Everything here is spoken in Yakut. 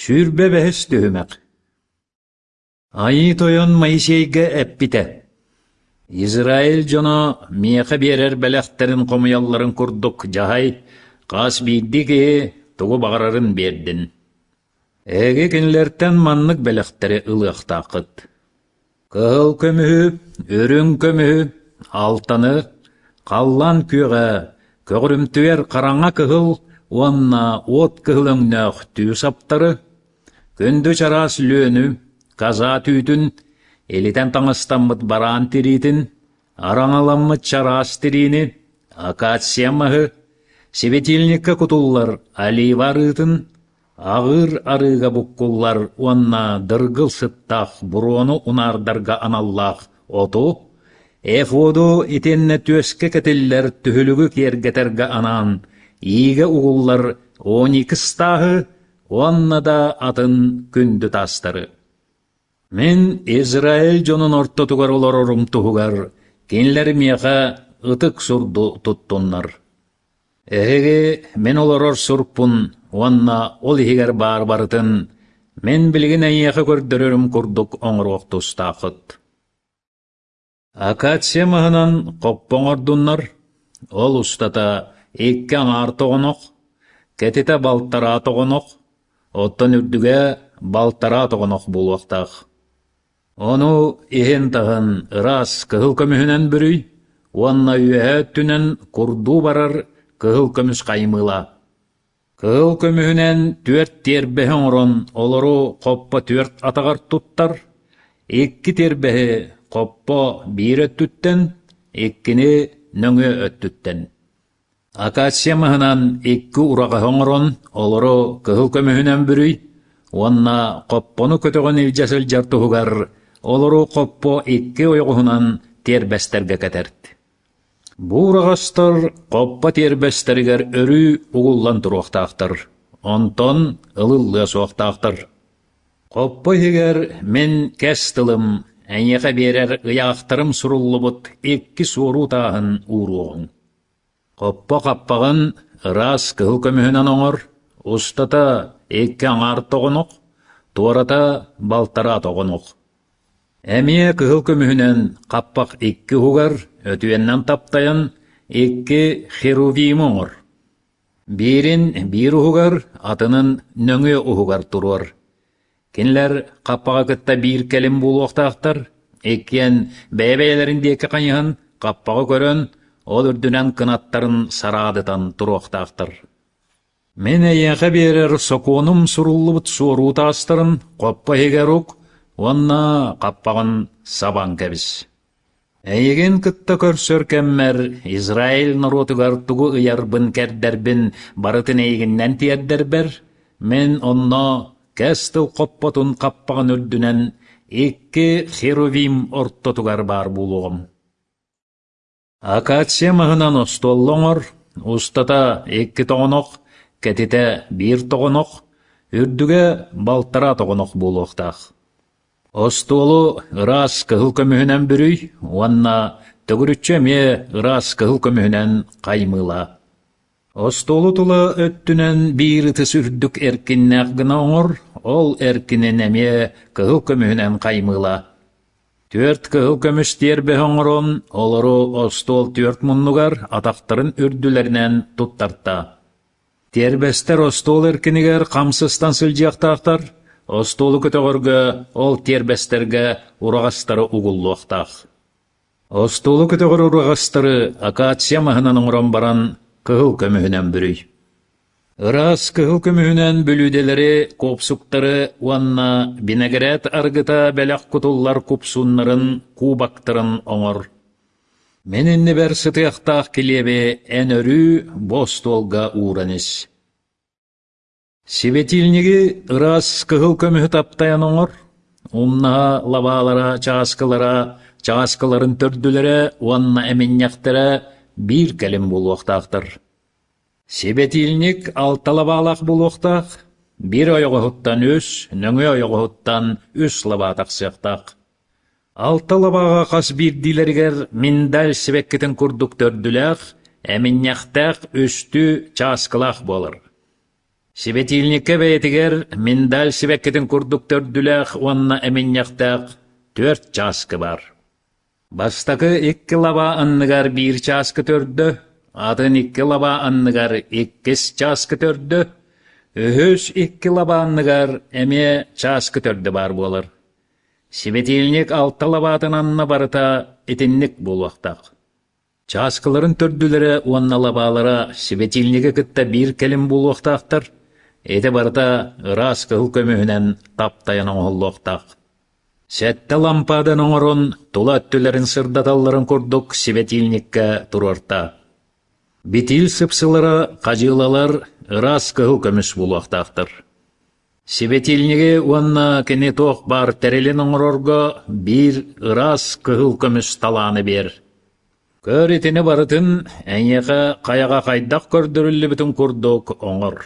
25 түһүмэх Айыы Тойон Моисейга эппитэ: «Израиль дьоно миэхэ биэрэр бэлэхтэрин хомуйалларын курдук дьаһай, хас биирдии киһи тугу баҕарарын биэрдин. Эһиги кинилэртэн маннык бэлэхтэри ылыахтааххыт: Кыһыл көмүһү, үрүҥ көмүһү, алтаны, халлаан күөҕэ, көҕүрүмтүйэр хараҥа кыһыл уонна уот кыһыл өҥнөөх түү саптары, күндү чараас лүөнү, каза түүтүн, илитэн таҥастаммыт бараан тириитин, араҥаламмыт чараас тириини, акация маһы, светильникка кутуллар олива арыытын, Аҕыыр арыыга буккуллар уонна дыргыл сыттаах буруону унаардарга аналлаах оту, эфоду итиэннэ түөскэ кэтиллэр түһүлүгү киэргэтэргэ анаан иигэ угуллар оникс тааһы уонна да атын күндү таастары. Мин Израиль дьонун ортотугар олорорум туһугар кинилэр миэхэ ытык сурду туттуннар. Эһиги мин олорор сурпун уонна ол иһигэр баар барытын мин билигин эйиэхэ көрдөрөрүм курдук оҥоруох тустааххыт. Акация маһынан хоппо оҥордуннар, ол устата икки аҥаар тоҕонох, кэтитэ балтараа тоҕонох, оттон үрдүгэ балтараа тоҕонох буолуохтаах. Ону иһин-таһын ыраас кыһыл көмүһүнэн бүрүй уонна үөһээ өттүнэн курдуу барар кыһыл көмүс хаймыылаа. Кыһыл көмүһүнэн түөрт тиэрбэһи оҥорон олору хоппо түөрт атаҕар туттар, икки тиэрбэһи хоппо биир өттүттэн, иккини нөҥүө өттүттэн. Акация маһынан икки ураҕаһы оҥорон, олору кыһыл көмүһүнэн бүрүй уонна хоппону көтөҕөн илдьэ сылдьар туһугар олору хоппо икки ойоҕоһунан тиэрбэстэргэ кэтэрт. Бу ураҕастар хоппо тиэрбэстэригэр өрүү угуллан туруохтаахтар, онтон ылыллыа суохтаахтар. Хоппо иһигэр мин кэс тылым, эйиэхэ биэрэр ыйаахтарым суруллубут икки суоруу тааһын ууруоҕуҥ. Хоппо хаппаҕын ыраас кыһыл көмүһүнэн оҥор, устата икки аҥаар тоҕонох, туората балтараа тоҕонох. Эмиэ кыһыл көмүһүнэн хаппах икки уһугар өтүйэннэн таптайан икки херувимы оҥор. Биирин биир уһугар, атынын нөҥүө уһугар туруор. Кинилэр хаппаҕы кытта биир кэлим буолуохтаахтар, иккиэн бэйэ-бэйэлэрин диэки хайыһан, хаппаҕы көрөн, ол үрдүнэн кынаттарын сараадытан туруохтаахтар. Мин эйиэхэ биэрэр сокуонум суруллубут суоруу таастарын хоппо иһигэр ук уонна хаппаҕын сабан кэбис. Эйигин кытта көрсөр кэммэр Израиль норуотугар тугу ыйарбын-кэрдэрбин барытын эйигиннэн тиэрдэрбэр, мин онно кэс тыл хоппотун хаппаҕын үрдүнэн икки херувим ортотугар баар буолуоҕум. Акация маһынан остуолла оҥор, устата икки тоҕонох, кэтитэ биир тоҕонох, үрдүгэ балтараа тоҕонох буолуохтаах. Остуолу ыраас кыһыл көмүһүнэн бүрүй уонна төгүрүччү эмиэ ыраас кыһыл көмүһүнэн хаймыылаа. Остуолу тула өттүнэн биир ытыс үрдүк эркиннээх гына оҥор, ол эркинин эмиэ кыһыл көмүһүнэн хаймыылаа. Түөрт кыһыл көмүс тиэрбэһи оҥорон, олору остуол түөрт муннугар атахтарын үрдүлэринэн туттартаа. Тиэрбэстэр остуол эркинигэр хамсыстан сылдьыахтаахтар, остуолу көтөҕөргө ол тиэрбэстэргэ ураҕастары угуллуохтаах. Остуолу көтөҕөр ураҕастары акация маһынан оҥорон баран кыһыл көмүһүнэн бүрүй. Ыраас кыһыл көмүһүнэн бүлүүдэлэри, куопсуктары уонна бинэгирээт арыгыта бэлэх кутуллар купсууннарын, кубоктарын оҥор. Мин иннибэр сытыахтаах килиэби эн өрүү бу остуолга ууран ис. Светильниги ыраас кыһыл көмүһү таптайан оҥор, умнаһа лабаалара, чааскылара, чааскыларын төрдүлэрэ уонна эминньэхтэрэ биир кэлим буолуохтаахтар. Сибэтиилник алта лабаалаах буолуохтаах, биир ойоҕоһуттан үс, нөҥүө ойоҕоһуттан үс лабаа тахсыахтаах. Алта лабааҕа хас биирдиилэригэр миндаль сибэккитин курдук төрдүлээх, эминньэхтээх үстүү чааскылаах буолар. Сибэтиилниккэ бэйэтигэр миндаль сибэккитин курдук төрдүлээх уонна эминньэхтээх түөрт чааскы баар. Бастакы икки лабаа анныгар биир чааскы төрдө, атын икки лабаа анныгар иккис чааскы төрдө, үһүс икки лабаа анныгар эмиэ чааскы төрдө баар буолар. Сибэтиилник алта лабаатын анна барыта итинник буолуохтаах. Чааскыларын төрдүлэрэ уонна лабаалара сибэтиилниги кытта биир кэлим буолуохтаахтар, ити барыта ыраас кыһыл көмүһүнэн таптайан оҥоһуллуохтаах. Сэттэ лампадан оҥорон, тула өттүлэрин сырдаталларын курдук сибэтиилниккэ туруорта. Битиил сыпсылара хадьыылалар ыраас кыһыл көмүс буолуохтаахтар. Сибэтиилниги уонна кини туох баар тэрилин оҥорорго биир ыраас кыһыл көмүс талааны биэр. Көр итини барытын эйиэхэ хайаҕа хайдах көрдөрүллүбүтүн курдук оҥор.